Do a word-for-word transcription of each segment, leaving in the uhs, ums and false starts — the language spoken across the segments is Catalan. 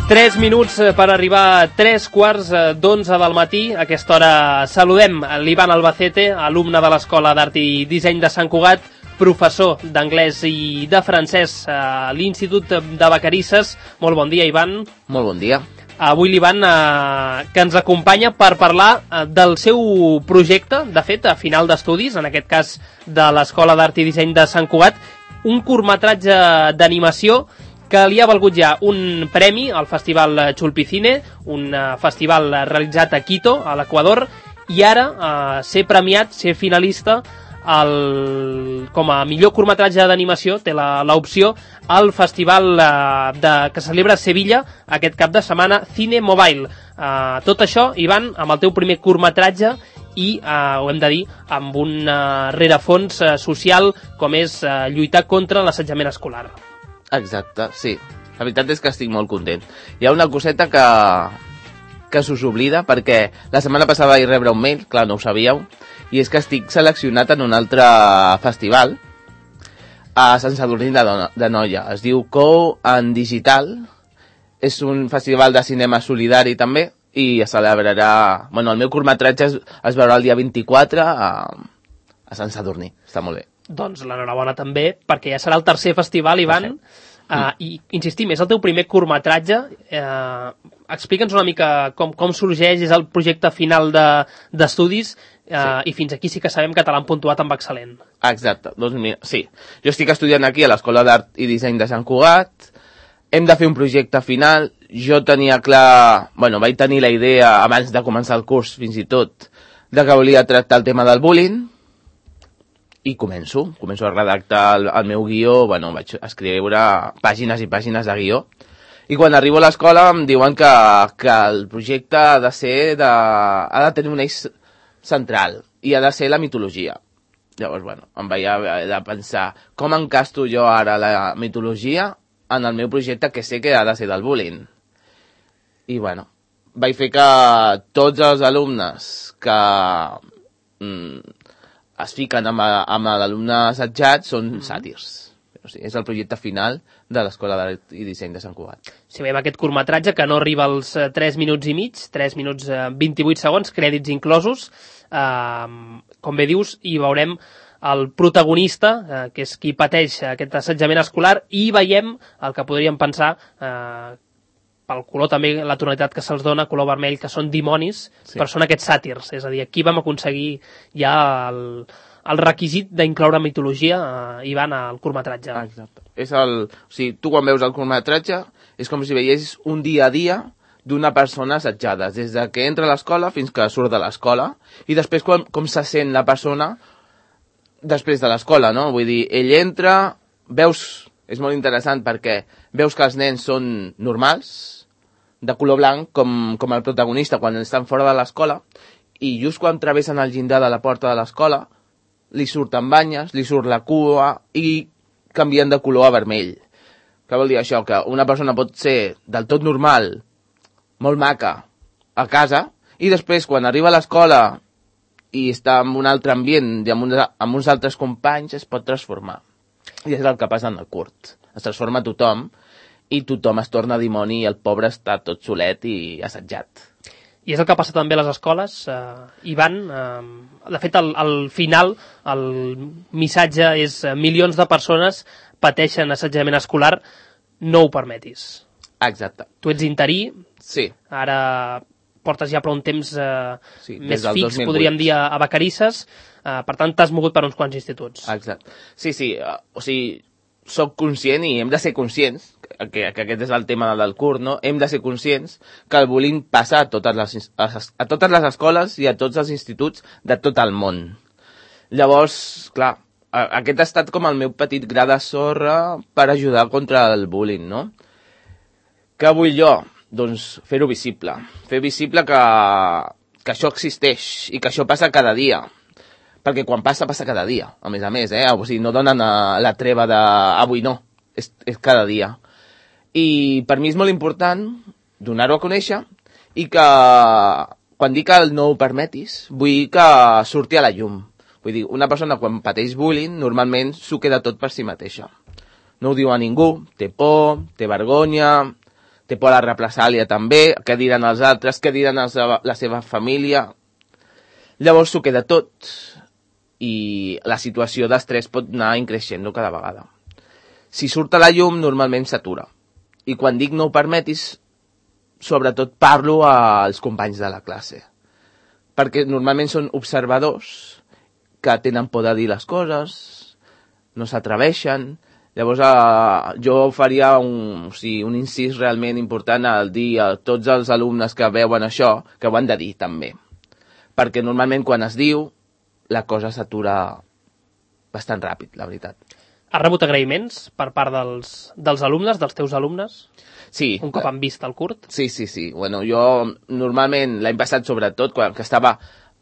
Tres minuts per arribar a tres quarts d'onze del matí. A aquesta hora saludem l'Ivan Albacete, alumne de l'Escola d'Art i Disseny de Sant Cugat, professor d'anglès i de francès a l'Institut de Vacarisses. Molt bon dia, Ivan. Molt bon dia. Avui l'Ivan, eh, que ens acompanya per parlar eh, del seu projecte, de fet, a final d'estudis, en aquest cas de l'Escola d'Art i Disseny de Sant Cugat, un curtmetratge d'animació que li ha valgut ja un premi al Festival Xulpicine, un uh, festival realitzat a Quito, a l'Equador, i ara uh, ser premiat, ser finalista el, com a millor curtmetratge d'animació, té l'opció al festival uh, de, que se celebra a Sevilla aquest cap de setmana, Cine Mobile. Uh, tot això, Ivan, amb el teu primer curtmetratge i, uh, ho hem de dir, amb un uh, rerefons uh, social com és uh, lluitar contra l'assetjament escolar. Exacte, sí. La veritat és que estic molt content. Hi ha una coseta que, que s'us oblida, perquè la setmana passada vaig rebre un mail, clar, no ho sabíeu, i és que estic seleccionat en un altre festival a Sant Sadurní de, de Noia. Es diu Co en Digital. És un festival de cinema solidari també, i es celebrarà... Bueno, el meu curtmetratge es, es veurà el dia vint-i-quatre a, a Sant Sadurní. Està molt bé. Doncs l'enhorabona també, perquè ja serà el tercer festival, Ivan, uh, i insistim, és el teu primer curtmetratge. Uh, Explica'ns una mica com, com sorgeix, és el projecte final d'estudis, de, uh, sí. I fins aquí sí que sabem que te l'han puntuat amb excel·lent. Exacte, doncs mira, sí. Jo estic estudiant aquí a l'Escola d'Art i Disseny de Sant Cugat, hem de fer un projecte final, jo tenia clar, bueno, vaig tenir la idea abans de començar el curs, fins i tot, de que volia tractar el tema del bullying, i començo, començo a redactar el, el meu guió, bueno, vaig escriure pàgines i pàgines de guió, i quan arribo a l'escola em diuen que, que el projecte ha de ser de, ha de tenir un eix central, i ha de ser la mitologia. Llavors, bueno, em vaig haver de pensar com encasto jo ara la mitologia en el meu projecte, que sé que ha de ser del bullying. I bueno, vaig fer que tots els alumnes que... Mm, es fiquen amb, amb l'alumne assetjat, són mm-hmm. sàtirs. O sigui, és el projecte final de l'Escola d'Art i Disseny de Sant Cugat. Si veiem aquest curtmetratge, que no arriba als uh, tres minuts i mig, tres minuts uh, vint-i-vuit segons, crèdits inclosos, uh, com bé dius, hi veurem el protagonista, uh, que és qui pateix aquest assetjament escolar, i veiem el que podríem pensar... Uh, pel color també, la tonalitat que se'ls dona, color vermell, que són dimonis, sí. Però són aquests sàtirs. És a dir, aquí vam aconseguir ja el, el requisit d'incloure mitologia, eh, Ivan, al curtmetratge. Exacte. És el, o sigui, tu quan veus el curtmetratge és com si veiessis un dia a dia d'una persona assetjada, des de que entra a l'escola fins que surt de l'escola, i després com, com se sent la persona després de l'escola, no? Vull dir, ell entra, veus... És molt interessant perquè veus que els nens són normals, de color blanc, com, com el protagonista quan estan fora de l'escola, i just quan travessen el llindar de la porta de l'escola, li surten banyes, li surt la cua i canvien de color a vermell. Què vol dir això? Que una persona pot ser del tot normal, molt maca, a casa, i després quan arriba a l'escola i està en un altre ambient i amb uns, amb uns altres companys, es pot transformar. I és el que passa en el curt. Es transforma tothom i tothom es torna dimoni i el pobre està tot solet i assetjat. I és el que passa també a les escoles, eh, Ivan. Eh, de fet, al, al final, el missatge és eh, milions de persones pateixen assetjament escolar, no ho permetis. Exacte. Tu ets interí, sí. Ara portes ja prou un temps eh, sí, més fix, podríem dir, a, a Vacarisses. Uh, per tant, t'has mogut per uns quants instituts. Exacte. Sí, sí, uh, o sigui, soc conscient i hem de ser conscients, que, que aquest és el tema del curt, no? Hem de ser conscients que el bullying passa a totes les, a, a totes les escoles i a tots els instituts de tot el món. Llavors, clar, aquest ha estat com el meu petit gra de sorra per ajudar contra el bullying, no? Què vull jo? Doncs fer-ho visible. Fer visible que, que això existeix i que això passa cada dia. Perquè quan passa, passa cada dia, a més a més, eh? O sigui, no donen a la treva de avui no, és, és cada dia. I per mi és molt important donar-ho a conèixer i que, quan dic que no ho permetis, vull que surti a la llum. Vull dir, una persona quan pateix bullying, normalment s'ho queda tot per si mateixa. No ho diu a ningú, té por, té vergonya, té por a la represàlia també, què diran els altres, què diran els, la seva família. Llavors s'ho queda tot i la situació d'estrès pot anar increixent cada vegada. Si surt a la llum, normalment s'atura. I quan dic no ho permetis, sobretot parlo als companys de la classe. Perquè normalment són observadors que tenen por de dir les coses, no s'atreveixen. Llavors eh, jo faria un, o sigui, un incís realment important al dir a tots els alumnes que veuen això, que ho han de dir també. Perquè normalment quan es diu, la cosa s'atura bastant ràpid, la veritat. Has rebut agraïments per part dels, dels alumnes, dels teus alumnes? Sí. Un cop han vist el curt? Sí, sí, sí. Bueno, jo normalment, l'any passat sobretot, quan que estava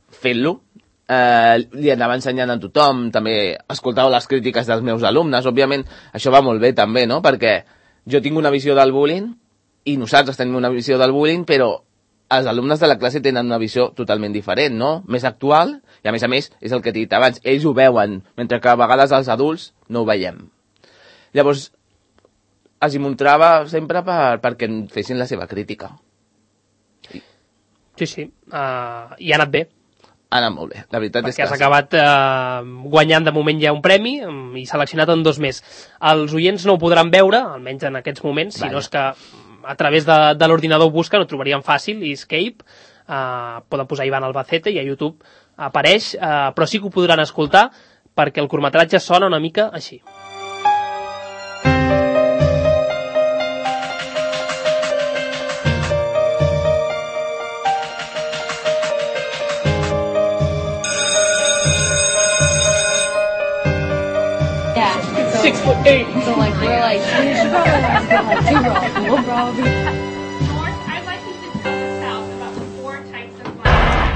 fent-lo, eh, li anava ensenyant a tothom, també escoltava les crítiques dels meus alumnes. Òbviament, això va molt bé també, no? Perquè jo tinc una visió del bullying i nosaltres tenim una visió del bullying, però els alumnes de la classe tenen una visió totalment diferent, no? Més actual, i a més a més, és el que t'he dit abans, ells ho veuen, mentre que a vegades els adults no ho veiem. Llavors, els hi mostrava sempre per, perquè fessin la seva crítica. I... Sí, sí, uh, i ha anat bé. Ha anat molt bé, la veritat perquè és que... has acabat uh, guanyant de moment ja un premi um, i seleccionat en dos més. Els oients no ho podran veure, almenys en aquests moments, vale. Si no és que a través de, de l'ordinador busquen, ho trobarien fàcil, i Escape, uh, poden posar Ivan Albacete i a YouTube apareix, uh, però sí que ho podran escoltar perquè el curtmetratge sona una mica així. Six foot eight. So like we're like, you should probably have to like two rolls. We'll probably. North, I'd like you to tell the South about the four types of violence.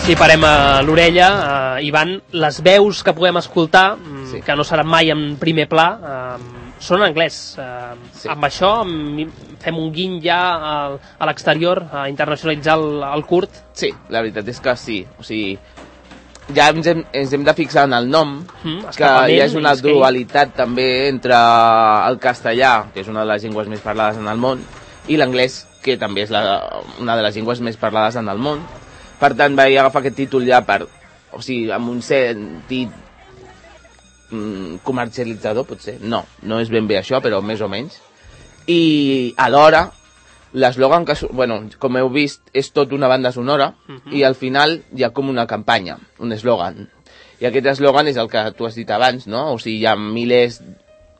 Si parem a l'orella, uh, Ivan, les veus que podem escoltar, sí. Que no seran mai en primer pla, uh, són en anglès. Uh, sí. Amb això fem un guiny ja a, a l'exterior, a internacionalitzar el, el curt? Sí, la veritat és que sí. O sigui, ja ens hem, ens hem de fixar en el nom, mm, que hi ha una dualitat que... també entre el castellà, que és una de les llengües més parlades en el món, i l'anglès, que també és la, una de les llengües més parlades en el món. Per tant, vaig agafar aquest títol ja per, o sigui, amb un sentit mm, comercialitzador, potser. No, no és ben bé això, però més o menys. I alhora, l'eslògan que, bueno, com heu vist, és tot una banda sonora, uh-huh. I al final hi ha com una campanya, un eslògan. I aquest eslògan és el que tu has dit abans, no? O sigui, hi ha milers,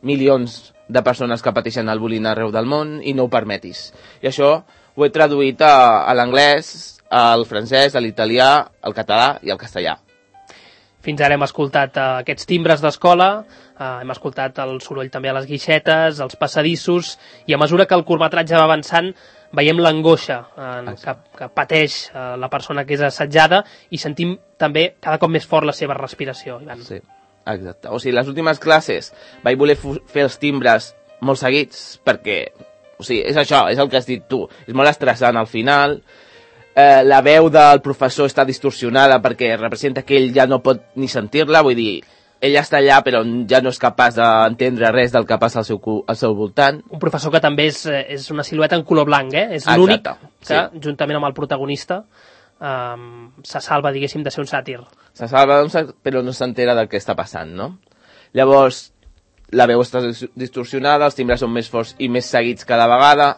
milions de persones que pateixen el bullying arreu del món i no ho permetis. I això ho he traduït a, a l'anglès, al francès, a l'italià, al català i al castellà. Fins ara hem escoltat uh, aquests timbres d'escola, uh, hem escoltat el soroll també a les guixetes, els passadissos, i a mesura que el curtmetratge va avançant veiem l'angoixa uh, que, que pateix uh, la persona que és assetjada i sentim també cada cop més fort la seva respiració. Ivan. Sí, exacte. O sigui, les últimes classes vaig voler fer els timbres molt seguits perquè, o sigui, és això, és el que has dit tu, és molt estressant al final. Eh, la veu del professor està distorsionada perquè representa que ell ja no pot ni sentir-la, vull dir, ell està allà però ja no és capaç d'entendre res del que passa al seu, al seu voltant. Un professor que també és, és una silueta en color blanc, eh? És l'únic que, sí. Juntament amb el protagonista, um, se salva, diguéssim, de ser un sàtir. Se salva, però no s'entera del que està passant, no? Llavors, la veu està distorsionada, els timbres són més forts i més seguits cada vegada,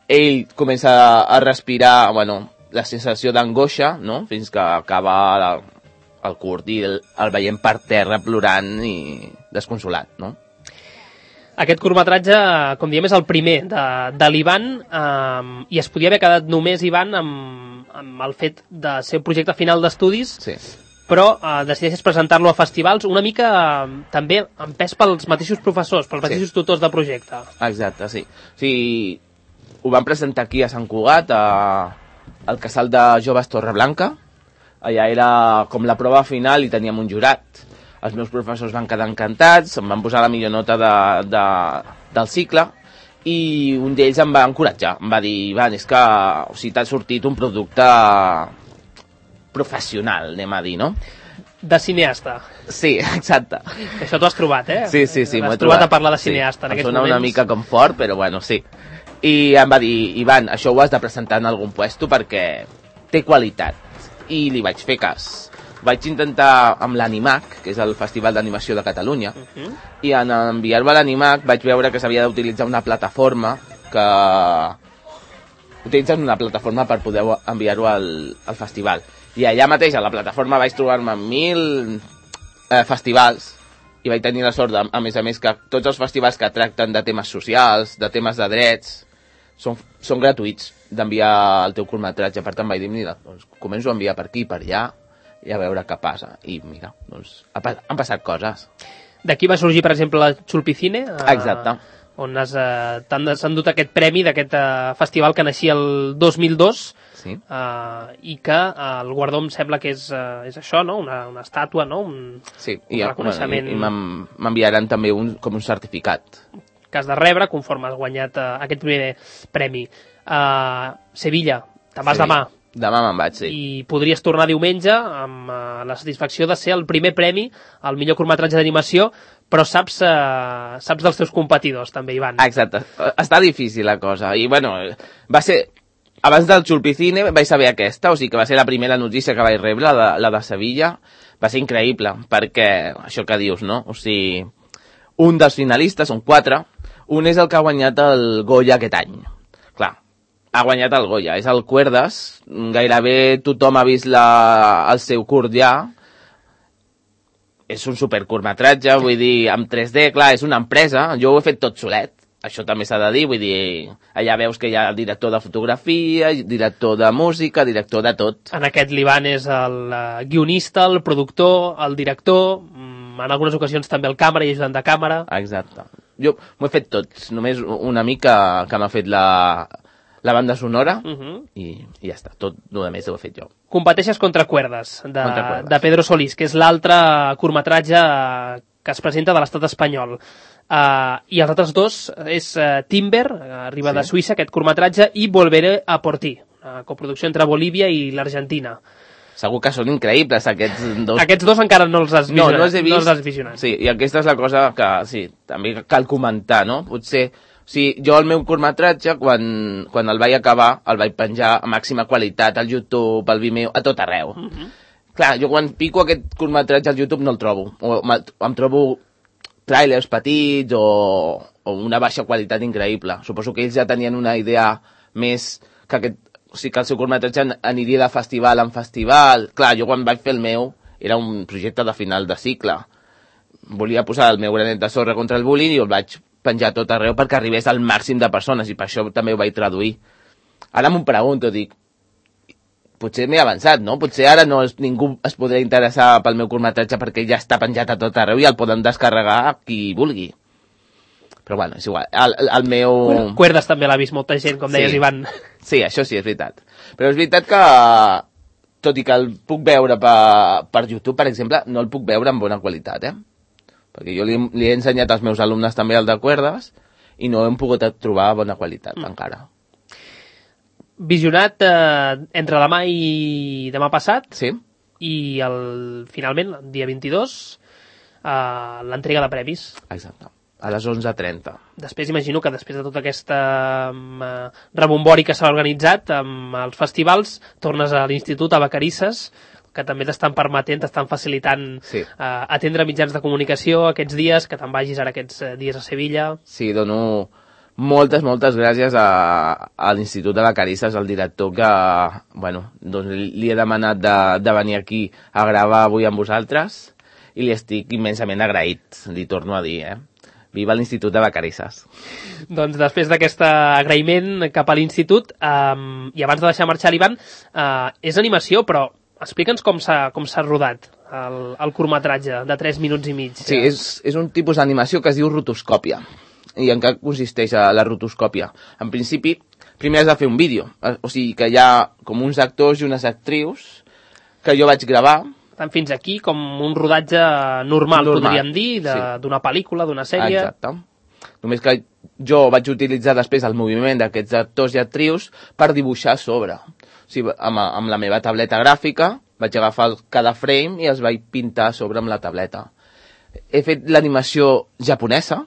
ell comença a respirar, bueno, la sensació d'angoixa, no? Fins que acaba la, el curt i el, el veiem per terra plorant i desconsolat, no? Aquest curtmetratge, com diem, és el primer de, de l'Ivan, eh, i es podia haver quedat només, Ivan, amb, amb el fet de ser un projecte final d'estudis, sí. Però eh, decideixes presentar-lo a festivals una mica eh, també empès pels mateixos professors, pels mateixos sí. Tutors de projecte. Exacte, sí. O sigui, ho vam presentar aquí a Sant Cugat, a al casal de joves Torreblanca. Allà era com la prova final i teníem un jurat. els meus professors van quedar encantats, em van posar la millor nota de, de, del cicle, i un d'ells em va encoratjar, em va dir, Ivan, és que o sigui, t'ha sortit un producte professional, anem a dir, no? De cineasta. Sí, exacte. Això t'ho has trobat, eh? Sí, sí, sí, m'ho he Has trobat trobat. a parlar de cineasta sí, en aquests em sona moments. una mica com fort, però bueno, sí. I em va dir, Ivan, això ho has de presentar en algun puesto perquè té qualitat. I li vaig fer cas. Vaig intentar amb l'Animac, que és el Festival d'Animació de Catalunya, uh -huh. i en enviar-ho a l'Animac vaig veure que s'havia d'utilitzar una plataforma que... Utilitzen una plataforma per poder enviar-ho al, al festival. I allà mateix, a la plataforma, vaig trobar-me amb mil eh, festivals i vaig tenir la sort, de, a més a més, que tots els festivals que tracten de temes socials, de temes de drets, són, són gratuïts d'enviar el teu curtmetratge. Per tant, vaig dir, mira, doncs, començo a enviar per aquí i per allà i a veure què passa. I mira, doncs, han passat coses. D'aquí va sorgir, per exemple, la Xulpicine. Eh, Exacte. On eh, s'han dut aquest premi d'aquest eh, festival que naixia el dos mil dos. Sí. Uh, i que uh, el guardó em sembla que és, uh, és això, no? Una, una estàtua, no? Un, sí, un i, reconeixement... bueno, i m'enviaran també un, com un certificat. Que has de rebre conforme has guanyat uh, aquest primer premi. Uh, Sevilla, te'n vas sí. demà. Demà me'n vaig, sí. I podries tornar diumenge amb uh, la satisfacció de ser el primer premi al millor curtmetratge d'animació, però saps, uh, saps dels teus competidors, també, Ivan. Exacte. Està difícil la cosa. I, bueno, va ser... Abans del Xulpicine vaig saber aquesta, o sigui que va ser la primera notícia que vaig rebre, la de, la de Sevilla. Va ser increïble, perquè, això que dius, no? O sigui, un dels finalistes, són quatre, un és el que ha guanyat el Goya aquest any. Clar, ha guanyat el Goya, és el Cuerdas, gairebé tothom ha vist la, el seu curt ja. És un supercurtmetratge, vull dir, amb tres D, clar, és una empresa, jo ho he fet tot solet. Això també s'ha de dir, vull dir, allà veus que hi ha el director de fotografia, director de música, director de tot. En aquest l'Ivan és el uh, guionista, el productor, el director, mm, en algunes ocasions també el càmera i ajudant de càmera. Exacte. Jo m'ho he fet tots, només una mica que m'ha fet la, la banda sonora uh -huh. i, i ja està, tot el més ho he fet jo. Competeixes contra Cuerdas, de, contra Cuerdas. de Pedro Solís, que és l'altre curtmetratge que es presenta de l'estat espanyol. Uh, i els altres dos és uh, Timber, uh, arriba sí. de Suïssa, aquest curtmetratge, i Volveré a por ti, uh, coproducció entre Bolívia i l'Argentina. Segur que són increïbles aquests dos. Aquests dos encara no els has vist. No, no els he vist. No els has visionat. Sí, i aquesta és la cosa que sí, també cal comentar, no? Potser, o sigui, jo el meu curtmetratge, quan, quan el vaig acabar, el vaig penjar a màxima qualitat al YouTube, al Vimeo, a tot arreu. Uh -huh. Clar, jo quan pico aquest curtmetratge al YouTube no el trobo. O em trobo tràilers petits o, o una baixa qualitat increïble. Suposo que ells ja tenien una idea més que aquest, o sigui, que el seu curtmetratge aniria de festival en festival. Clar, jo quan vaig fer el meu era un projecte de final de cicle. Volia posar el meu granet de sorra contra el bullying i el vaig penjar tot arreu perquè arribés al màxim de persones i per això també ho vaig traduir. Ara m'ho pregunto, dic, potser m'he avançat, no? Potser ara no es, ningú es podrà interessar pel meu curtmetratge perquè ja està penjat a tot arreu i el poden descarregar qui vulgui. Però bueno, és igual. El, el meu... Bueno, Cuerdas també l'ha vist molta gent, com deies, sí. Ivan. Sí, això sí, és veritat. Però és veritat que, tot i que el puc veure per, per YouTube, per exemple, no el puc veure en bona qualitat, eh? Perquè jo li, li he ensenyat als meus alumnes també el de Cuerdas i no hem pogut trobar bona qualitat mm. encara. Visionat eh, entre demà i demà passat. Sí. I el, finalment, el dia vint-i-dos, eh, l'entrega de premis. Exacte. A les onze trenta. Després imagino que després de tota aquesta um, rebombori que s'ha organitzat amb els festivals, tornes a l'institut, a Vacarisses, que també t'estan permetent, t'estan facilitant sí. uh, atendre mitjans de comunicació aquests dies, que te'n vagis ara aquests uh, dies a Sevilla. Sí, dono moltes, moltes gràcies a, a l'Institut de Vacarisses, al director que, bueno, doncs li he demanat de, de venir aquí a gravar avui amb vosaltres i li estic immensament agraït, li torno a dir, eh? Viva l'Institut de Vacarisses. Doncs després d'aquest agraïment cap a l'Institut, um, i abans de deixar marxar l'Ivan, uh, és animació, però explica'ns com s'ha com s'ha rodat el, el curtmetratge de tres minuts i mig. Sí, és, és un tipus d'animació que es diu rotoscòpia. I en què consisteix la rotoscòpia? En principi, primer has de fer un vídeo. O sigui, que hi ha com uns actors i unes actrius que jo vaig gravar Per tant, fins aquí com un rodatge normal, Normal, podríem dir, de- sí. d'una pel·lícula, d'una sèrie. Exacte. Només que jo vaig utilitzar després el moviment d'aquests actors i actrius per dibuixar a sobre. O sigui, amb, amb la meva tableta gràfica vaig agafar el- cada frame i els vaig pintar a sobre amb la tableta. He fet l'animació japonesa.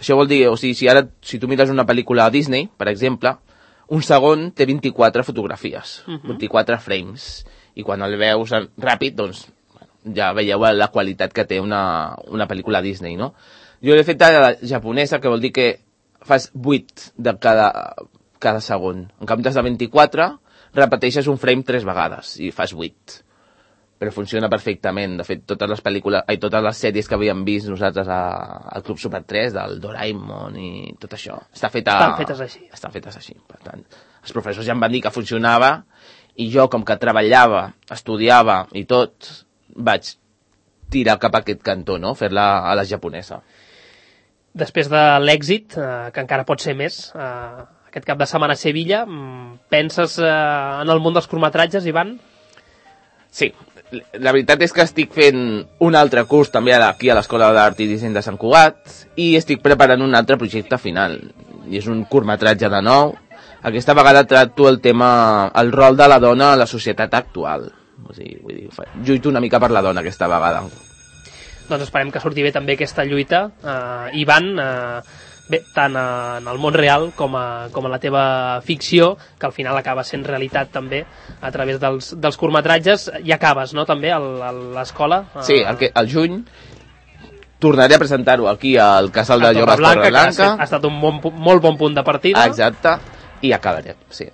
Això vol dir, o sigui, si ara si tu mires una pel·lícula a Disney, per exemple, un segon té vint-i-quatre fotografies, uh -huh. vint-i-quatre frames, i quan el veus ràpid, doncs, bueno, ja veieu la qualitat que té una, una pel·lícula Disney, no? Jo l'he fet a la japonesa, que vol dir que fas vuit de cada, cada segon. En comptes de vint-i-quatre, repeteixes un frame tres vegades i fas vuit. Però funciona perfectament. De fet, totes les pel·lícules, ai, totes les sèries que havíem vist nosaltres a, al Club Super tres, del Doraemon i tot això, està feta, Estan fetes així. Estan fetes així. Per tant, els professors ja em van dir que funcionava i jo, com que treballava, estudiava i tot, vaig tirar cap a aquest cantó, no? Fer-la a la japonesa. Després de l'èxit, eh, que encara pot ser més, eh, aquest cap de setmana a Sevilla, mm, penses eh, en el món dels curtmetratges, Ivan? Sí, la veritat és que estic fent un altre curs també aquí a l'Escola d'Art i Disseny de Sant Cugat i estic preparant un altre projecte final. I és un curtmetratge de nou. Aquesta vegada tracto el tema, el rol de la dona a la societat actual. O sigui, vull dir, lluito una mica per la dona aquesta vegada. Doncs esperem que surti bé també aquesta lluita. Uh, Ivan, uh, bé, tant uh, en el món real com a, com a la teva ficció, que al final acaba sent realitat també a través dels, dels curtmetratges, i acabes, no?, també a l'escola. Uh, Sí, el, que, el juny tornaré a presentar-ho aquí al Casal de Joves Torreblanca, Torreblanca. que ha estat un bon, molt bon punt de partida. Exacte, i acabaré, sí.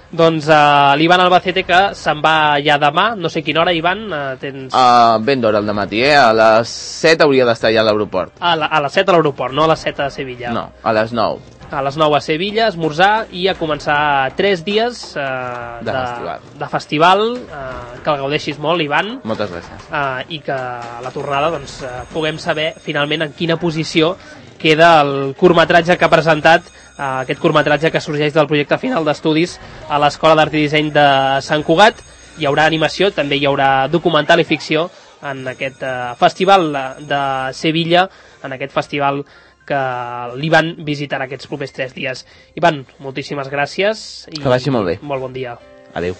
Doncs uh, l'Ivan Albacete, que se'n va ja demà, no sé quina hora, Ivan, uh, tens... Uh, ben d'hora al matí, eh? A les set hauria d'estar ja a l'aeroport. A, la, a les set a l'aeroport, no a les set a Sevilla. No, a les nou. A les nou a Sevilla, esmorzar i a començar tres dies uh, De festival. de festival uh, que el gaudeixis molt, Ivan, Moltes gràcies. uh, i que a la tornada doncs, uh, puguem saber finalment en quina posició queda el curtmetratge que ha presentat, uh, aquest curtmetratge que sorgeix del projecte final d'estudis a l'Escola d'Art i Disseny de Sant Cugat. Hi haurà animació, també hi haurà documental i ficció en aquest uh, festival de, de Sevilla, en aquest festival que l'Ivan visitarà aquests propers tres dies. Ivan, moltíssimes gràcies. I Que vagi molt bé. Molt bon dia. Adéu.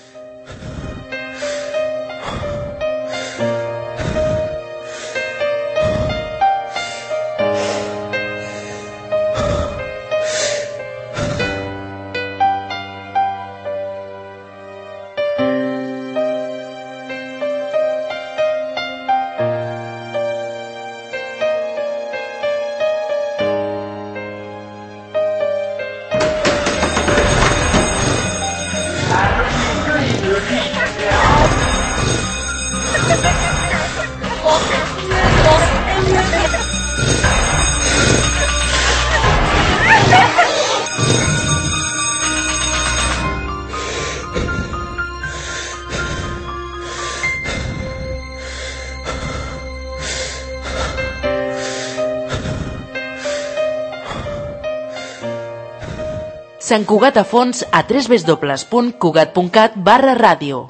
Sant Cugat a fons a w w w punt cugat punt cat barra ràdio.